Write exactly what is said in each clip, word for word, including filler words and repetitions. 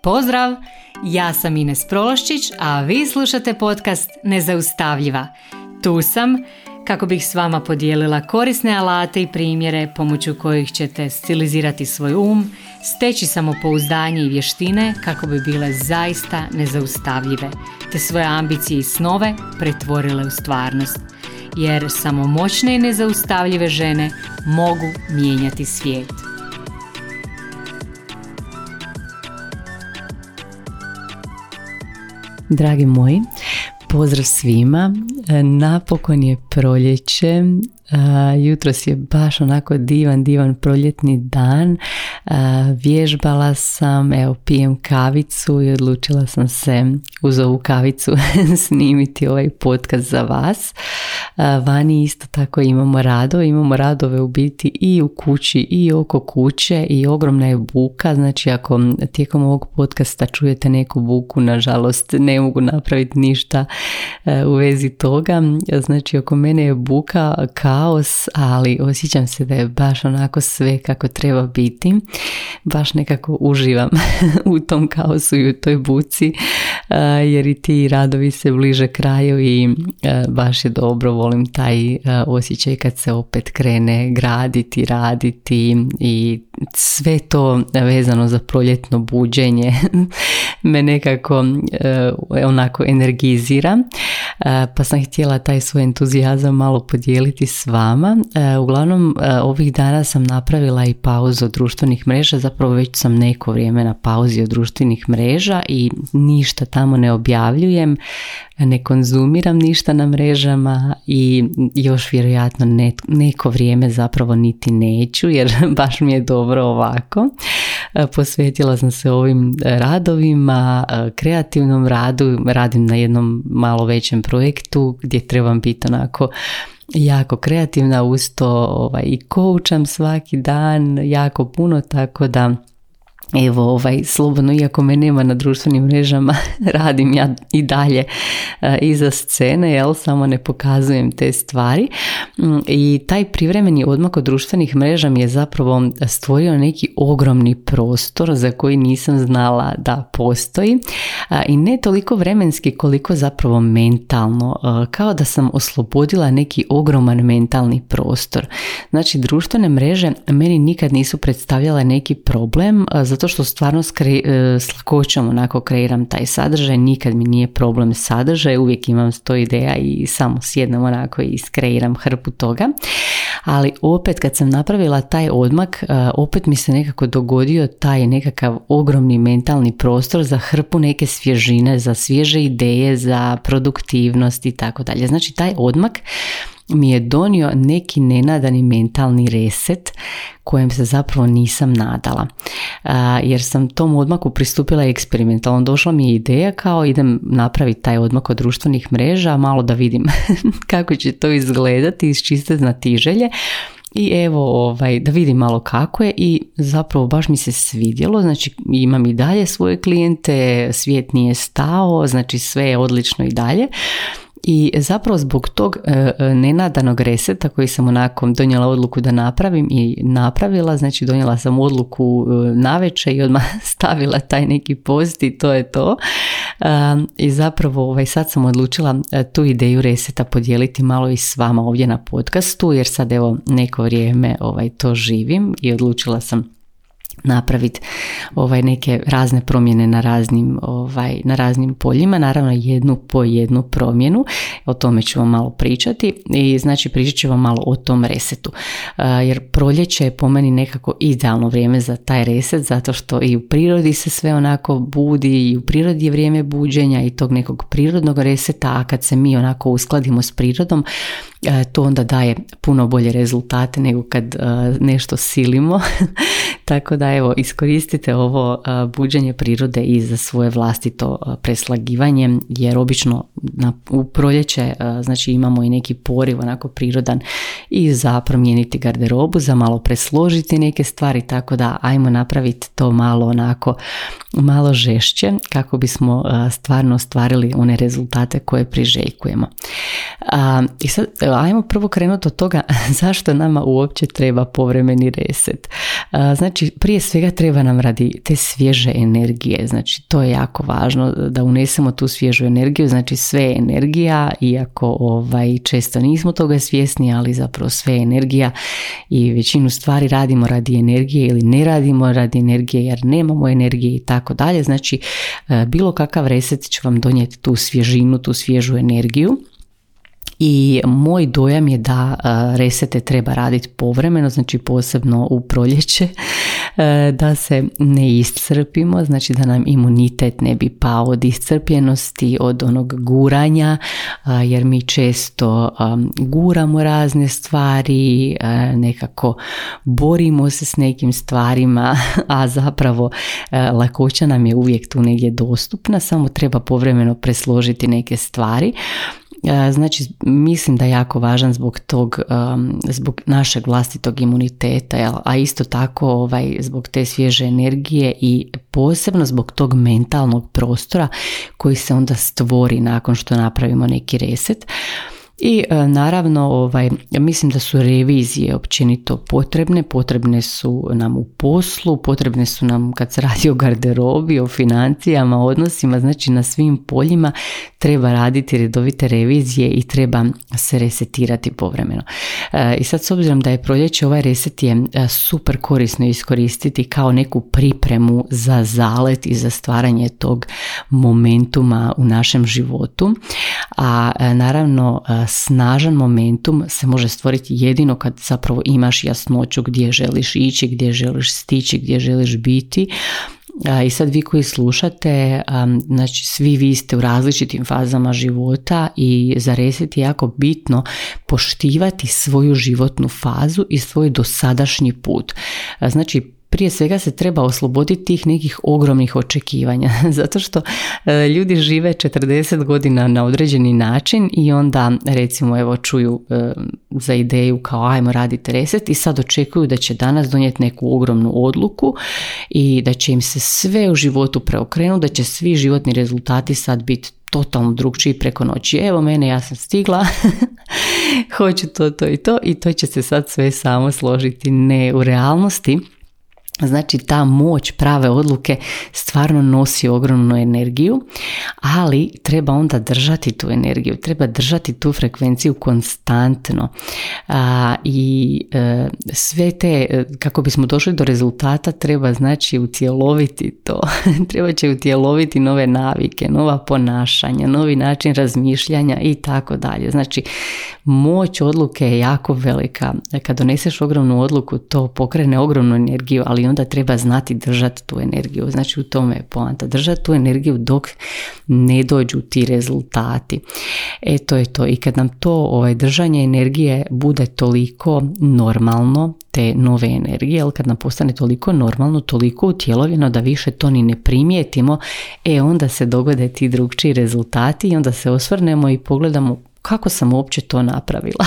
Pozdrav! Ja sam Ines Prološčić, a vi slušate podcast Nezaustavljiva. Tu sam kako bih s vama podijelila korisne alate i primjere pomoću kojih ćete stilizirati svoj um, steći samopouzdanje i vještine kako bi bile zaista nezaustavljive, te svoje ambicije i snove pretvorile u stvarnost. Jer samo moćne i nezaustavljive žene mogu mijenjati svijet. Dragi moji, pozdrav svima. Napokon je proljeće. Jutros je baš onako divan, divan proljetni dan. Vježbala sam, evo pijem kavicu i odlučila sam se uz ovu kavicu snimiti ovaj podcast za vas. Vani isto tako imamo radove, imamo radove u biti i u kući i oko kuće i ogromna je buka, znači ako tijekom ovog podcasta čujete neku buku, nažalost ne mogu napraviti ništa u vezi toga, znači oko mene je buka, kaos, ali osjećam se da je baš onako sve kako treba biti, baš nekako uživam u tom kaosu i u toj buci, jer i ti radovi se bliže kraju i baš je dobro, volim taj osjećaj kad se opet krene graditi, raditi i sve to vezano za proljetno buđenje me nekako onako energizira, pa sam htjela taj svoj entuzijazam malo podijeliti s vama. Uglavnom ovih dana sam napravila i pauzu od društvenih mreža, zapravo već sam neko vrijeme na pauzi od društvenih mreža i ništa tamo ne objavljujem, ne konzumiram ništa na mrežama i još vjerojatno ne, neko vrijeme zapravo niti neću, jer baš mi je dobro ovako. Posvetila sam se ovim radovima, kreativnom radu, radim na jednom malo većem projektu gdje trebam biti onako jako kreativna, uz to ovaj, i coacham svaki dan jako puno, tako da evo, ovaj, slobodno, iako me nema na društvenim mrežama, radim ja i dalje uh, iza scene, jel, samo ne pokazujem te stvari. Um, I taj privremeni odmak od društvenih mreža mi je zapravo stvorio neki ogromni prostor za koji nisam znala da postoji. Uh, I ne toliko vremenski koliko zapravo mentalno, uh, kao da sam oslobodila neki ogroman mentalni prostor. Znači, društvene mreže meni nikad nisu predstavljale neki problem, uh, zato što stvarno skre, s lakoćom onako kreiram taj sadržaj, nikad mi nije problem sadržaj, uvijek imam sto ideja i samo sjednem onako i skreiram hrpu toga, ali opet kad sam napravila taj odmak, opet mi se nekako dogodio taj nekakav ogromni mentalni prostor za hrpu neke svježine, za svježe ideje, za produktivnost i tako dalje. Znači taj odmak mi je donio neki nenadani mentalni reset kojem se zapravo nisam nadala. Uh, jer sam tom odmaku pristupila eksperimentalno. Došla mi je ideja kao idem napraviti taj odmak od društvenih mreža, malo da vidim kako će to izgledati iz čiste znatiželje. I evo, ovaj, da vidim malo kako je i zapravo baš mi se svidjelo, znači imam i dalje svoje klijente, svijet nije stao, znači sve je odlično i dalje. I zapravo zbog tog e, nenadanog reseta koji sam onako donijela odluku da napravim i napravila, znači donijela sam odluku e, navečer i odmah stavila taj neki post i to je to. E, I zapravo ovaj, sad sam odlučila tu ideju reseta podijeliti malo i s vama ovdje na podcastu, jer sad evo neko vrijeme ovaj, to živim i odlučila sam napraviti ovaj, neke razne promjene na raznim, ovaj, na raznim poljima, naravno jednu po jednu promjenu, o tome ću vam malo pričati i znači pričat ću vam malo o tom resetu, uh, jer proljeće je po meni nekako idealno vrijeme za taj reset, zato što i u prirodi se sve onako budi i u prirodi je vrijeme buđenja i tog nekog prirodnog reseta, a kad se mi onako uskladimo s prirodom, to onda daje puno bolje rezultate nego kad uh, nešto silimo. Tako da evo, iskoristite ovo uh, buđenje prirode i za svoje vlastito uh, preslagivanje, jer obično na, u proljeće uh, znači imamo i neki poriv onako prirodan i za promijeniti garderobu, za malo presložiti neke stvari, tako da ajmo napraviti to malo onako malo žešće kako bismo uh, stvarno ostvarili one rezultate koje priželjkujemo. Uh, I sad ajmo prvo krenuti od toga zašto nama uopće treba povremeni reset. Uh, znači prije prije svega treba nam radi te svježe energije, znači to je jako važno da unesemo tu svježu energiju, znači sve je energija, iako ovaj, često nismo toga svjesni, ali zapravo sve je energija i većinu stvari radimo radi energije ili ne radimo radi energije jer nemamo energije i tako dalje, znači bilo kakav reset će vam donijeti tu svježinu, tu svježu energiju. I moj dojam je da resete treba raditi povremeno, znači posebno u proljeće, da se ne iscrpimo, znači da nam imunitet ne bi pao od iscrpljenosti, od onog guranja, jer mi često guramo razne stvari, nekako borimo se s nekim stvarima, a zapravo lakoća nam je uvijek tu negdje dostupna, samo treba povremeno presložiti neke stvari. Znači, mislim da je jako važan zbog tog, zbog našeg vlastitog imuniteta, a isto tako ovaj, zbog te svježe energije i posebno zbog tog mentalnog prostora koji se onda stvori nakon što napravimo neki reset. I naravno ovaj, mislim da su revizije općenito potrebne, potrebne su nam u poslu, potrebne su nam kad se radi o garderobi, o financijama, odnosima, znači na svim poljima treba raditi redovite revizije i treba se resetirati povremeno. I sad s obzirom da je proljeće, ovaj reset je super korisno iskoristiti kao neku pripremu za zalet i za stvaranje tog momentuma u našem životu, a naravno snažan momentum se može stvoriti jedino kad zapravo imaš jasnoću gdje želiš ići, gdje želiš stići, gdje želiš biti. I sad vi koji slušate, znači svi vi ste u različitim fazama života i za reset je jako bitno poštivati svoju životnu fazu i svoj dosadašnji put. Znači prije svega se treba osloboditi tih nekih ogromnih očekivanja, zato što e, ljudi žive četrdeset godina na određeni način i onda recimo evo čuju e, za ideju kao ajmo raditi reset i sad očekuju da će danas donijeti neku ogromnu odluku i da će im se sve u životu preokrenuti, da će svi životni rezultati sad biti totalno drugčiji preko noći. Evo mene, ja sam stigla, hoću to, to i to i to će se sad sve samo složiti. Ne, u realnosti znači ta moć prave odluke stvarno nosi ogromnu energiju, ali treba onda držati tu energiju, treba držati tu frekvenciju konstantno a, i e, sve te, kako bismo došli do rezultata, treba znači utjeloviti to, treba će utjeloviti nove navike, nova ponašanja, novi način razmišljanja i tako dalje. Znači moć odluke je jako velika, kad doneseš ogromnu odluku to pokrene ogromnu energiju, ali onda treba znati držati tu energiju. Znači u tome je poanta. Držati tu energiju dok ne dođu ti rezultati. E to je to. I kad nam to ovaj, držanje energije bude toliko normalno, te nove energije, ali kad nam postane toliko normalno, toliko utjelovljeno da više to ni ne primijetimo, e onda se dogode ti drugčiji rezultati i onda se osvrnemo i pogledamo kako sam uopće to napravila.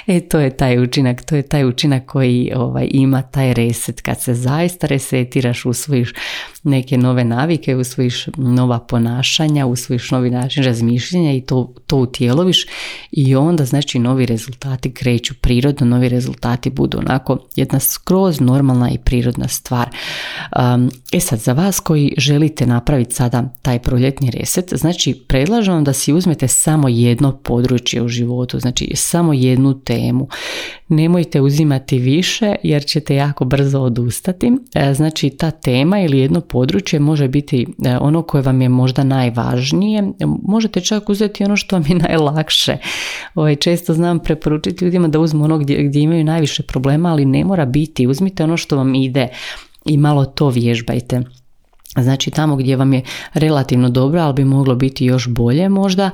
E to je taj učinak, to je taj učinak koji ovaj, ima taj reset. Kad se zaista resetiraš, usvojiš neke nove navike, usvojiš nova ponašanja, usvojiš novi način razmišljanja i to, to utjeloviš i onda znači novi rezultati kreću prirodno, novi rezultati budu onako jedna skroz normalna i prirodna stvar. Um, e sad, za vas koji želite napraviti sada taj proljetni reset, znači predlažem vam da si uzmete samo jedno područje u životu, znači samo jednu temu. Nemojte uzimati više jer ćete jako brzo odustati. Znači ta tema ili jedno područje može biti ono koje vam je možda najvažnije. Možete čak uzeti ono što vam je najlakše. Ovaj, često znam preporučiti ljudima da uzmu ono gdje, gdje imaju najviše problema, ali ne mora biti. Uzmite ono što vam ide i malo to vježbajte. Znači tamo gdje vam je relativno dobro, ali bi moglo biti još bolje možda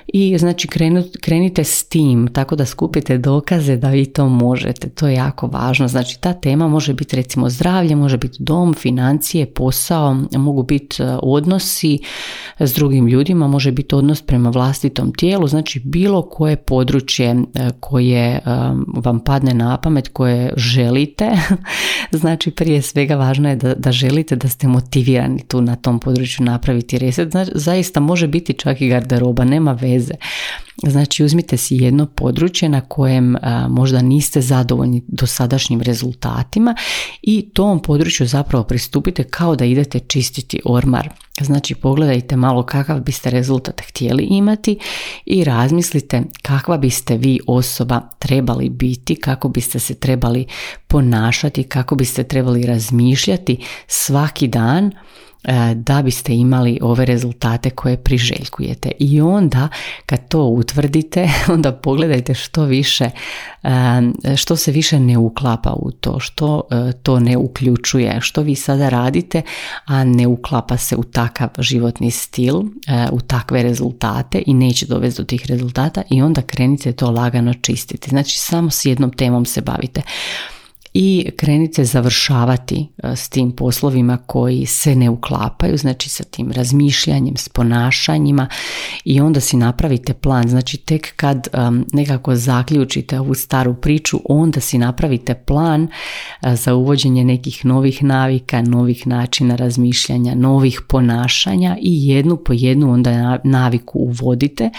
i znači krenut, krenite s tim tako da skupite dokaze da vi to možete, to je jako važno. Znači ta tema može biti recimo zdravlje, može biti dom, financije, posao, mogu biti odnosi s drugim ljudima, može biti odnos prema vlastitom tijelu, znači bilo koje područje koje vam padne na pamet, koje želite, znači prije svega važno je da, da želite, da ste motivirani blokirani tu na tom području napraviti reset. Znači, zaista može biti čak i garderoba, nema veze. Znači uzmite si jedno područje na kojem a, možda niste zadovoljni dosadašnjim rezultatima i tom području zapravo pristupite kao da idete čistiti ormar. Znači pogledajte malo kakav biste rezultat htjeli imati i razmislite kakva biste vi osoba trebali biti, kako biste se trebali ponašati, kako biste trebali razmišljati svaki dan da biste imali ove rezultate koje priželjkujete. I onda kad to utvrdite, onda pogledajte što više, što se više ne uklapa u to, što to ne uključuje, što vi sada radite, a ne uklapa se u takav životni stil, u takve rezultate i neće dovesti do tih rezultata i onda krenite to lagano čistiti. Znači samo s jednom temom se bavite. I krenite završavati s tim poslovima koji se ne uklapaju, znači sa tim razmišljanjem, s ponašanjima i onda si napravite plan. Znači tek kad um, nekako zaključite ovu staru priču, onda si napravite plan uh, za uvođenje nekih novih navika, novih načina razmišljanja, novih ponašanja i jednu po jednu onda naviku uvodite.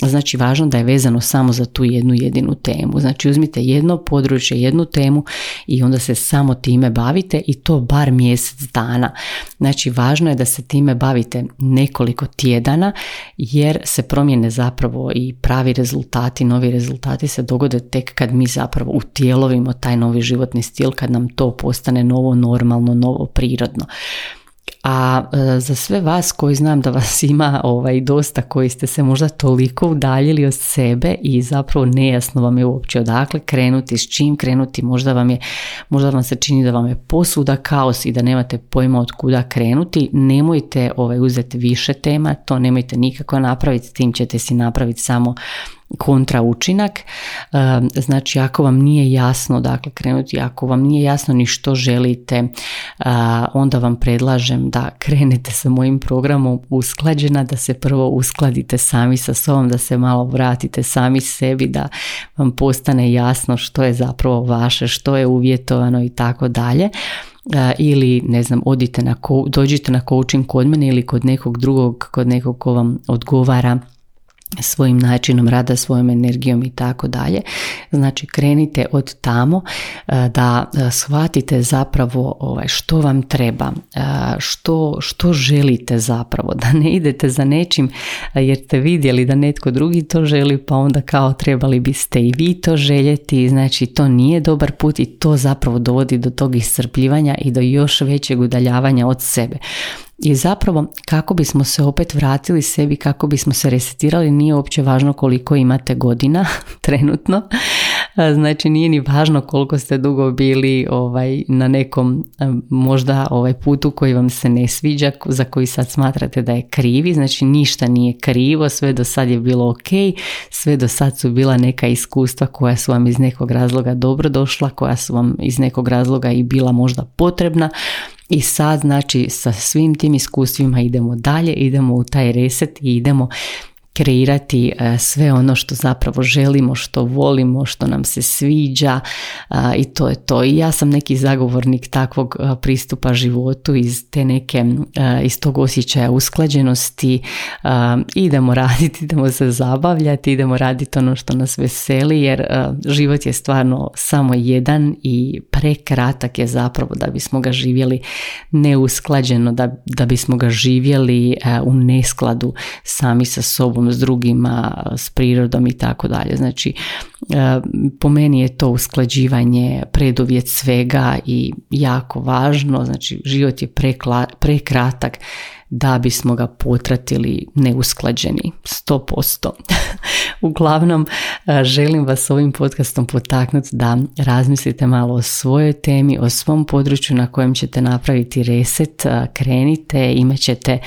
Znači važno da je vezano samo za tu jednu jedinu temu. Znači uzmite jedno područje, jednu temu i onda se samo time bavite i to bar mjesec dana. Znači važno je da se time bavite nekoliko tjedana jer se promjene zapravo i pravi rezultati, novi rezultati se dogode tek kad mi zapravo utjelovimo taj novi životni stil, kad nam to postane novo normalno, novo prirodno. A e, za sve vas koji znam da vas ima ovaj, dosta, koji ste se možda toliko udaljili od sebe i zapravo nejasno vam je uopće odakle krenuti, s čim krenuti, možda vam je, možda vam se čini da vam je posvuda kaos i da nemate pojma od kuda krenuti, nemojte ovaj, uzeti više tema, to nemojte nikako napraviti, tim ćete si napraviti samo kontra učinak. Znači ako vam nije jasno dakle krenuti, ako vam nije jasno ni što želite, onda vam predlažem da krenete sa mojim programom Usklađena, da se prvo uskladite sami sa sobom, da se malo vratite sami sebi, da vam postane jasno što je zapravo vaše, što je uvjetovano i tako dalje. Ili ne znam, odite na dođite na coaching kod mene ili kod nekog drugog, kod nekog ko vam odgovara svojim načinom rada, svojom energijom i tako dalje. Znači krenite od tamo da shvatite zapravo ovaj, što vam treba, što, što želite zapravo, da ne idete za nečim jer ste vidjeli da netko drugi to želi pa onda kao trebali biste i vi to željeti. Znači to nije dobar put i to zapravo dovodi do tog iscrpljivanja i do još većeg udaljavanja od sebe. I zapravo kako bismo se opet vratili sebi, kako bismo se resetirali, nije uopće važno koliko imate godina trenutno. Znači nije ni važno koliko ste dugo bili ovaj, na nekom možda ovaj putu koji vam se ne sviđa, za koji sad smatrate da je krivi. Znači ništa nije krivo, sve do sad je bilo ok, sve do sad su bila neka iskustva koja su vam iz nekog razloga dobro došla, koja su vam iz nekog razloga i bila možda potrebna. I sad znači sa svim tim iskustvima idemo dalje, idemo u taj reset i idemo kreirati sve ono što zapravo želimo, što volimo, što nam se sviđa i to je to. I ja sam neki zagovornik takvog pristupa životu iz te neke, iz tog osjećaja usklađenosti. Idemo raditi, idemo se zabavljati, idemo raditi ono što nas veseli jer život je stvarno samo jedan i prekratak je zapravo da bismo ga živjeli neusklađeno, da, da bismo ga živjeli u neskladu sami sa sobom, s drugima, s prirodom i tako dalje. Znači, po meni je to usklađivanje preduvjet svega i jako važno. Znači, život je prekla, prekratak da bismo ga potratili neusklađeni, sto posto. Uglavnom, želim vas ovim podcastom potaknuti da razmislite malo o svojoj temi, o svom području na kojem ćete napraviti reset, krenite, imat ćete,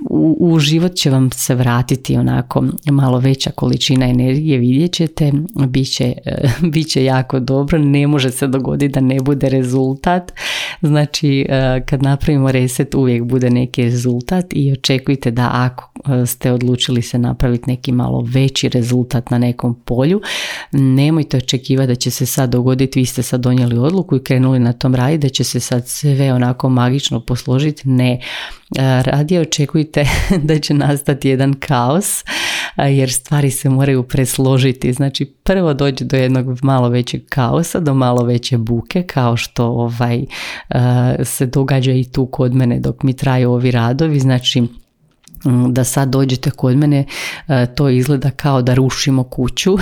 u, u život će vam se vratiti onako malo veća količina energije, vidjet ćete, bit će, bit će jako dobro, ne može se dogoditi da ne bude rezultat, Znači kad napravimo reset uvijek bude neki rezultat i očekujte da ako ste odlučili se napraviti neki malo veći rezultat na nekom polju, nemojte očekivati da će se sad dogoditi, vi ste sad donijeli odluku i krenuli na tom raditi, da će se sad sve onako magično posložiti. Ne, radije očekujte da će nastati jedan kaos, jer stvari se moraju presložiti. Znači prvo dođe do jednog malo većeg kaosa, do malo veće buke, kao što ovaj, se događa i tu kod mene dok mi traju ovi radovi. Znači da sad dođete kod mene, to izgleda kao da rušimo kuću,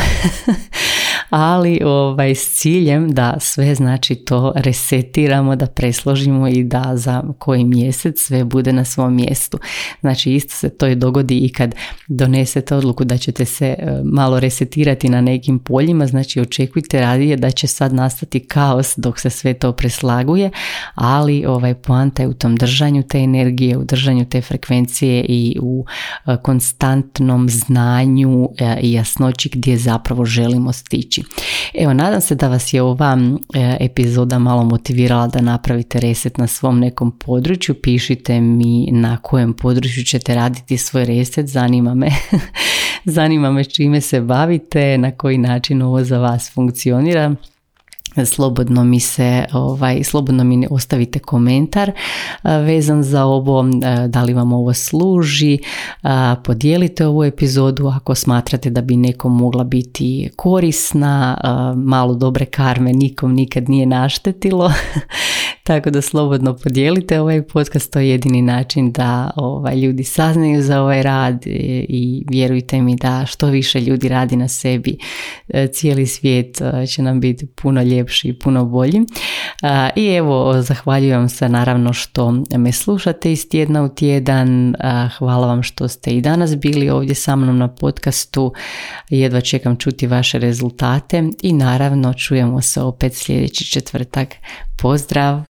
ali ovaj, s ciljem da sve znači to resetiramo, da presložimo i da za koji mjesec sve bude na svom mjestu. Znači isto se to i dogodi i kad donesete odluku da ćete se malo resetirati na nekim poljima, znači očekujte radije da će sad nastati kaos dok se sve to preslaguje, ali ovaj, poanta je u tom držanju te energije, u držanju te frekvencije i u konstantnom znanju i jasnoći gdje zapravo želimo stići. Evo, nadam se da vas je ova epizoda malo motivirala da napravite reset na svom nekom području. Pišite mi na kojem području ćete raditi svoj reset, zanima me. Zanima me čime se bavite, na koji način ovo za vas funkcionira. Slobodno mi se, ovaj, slobodno mi ostavite komentar vezan za ovo, da li vam ovo služi, podijelite ovu epizodu ako smatrate da bi nekom mogla biti korisna, malo dobre karme nikom nikad nije naštetilo, tako da slobodno podijelite ovaj podcast, to je jedini način da ovaj, ljudi saznaju za ovaj rad i vjerujte mi da što više ljudi radi na sebi, cijeli svijet će nam biti puno ljepši i puno bolji. I evo, zahvaljujem se naravno što me slušate iz tjedna u tjedan. Hvala vam što ste i danas bili ovdje sa mnom na podcastu. Jedva čekam čuti vaše rezultate i naravno čujemo se opet sljedeći četvrtak. Pozdrav!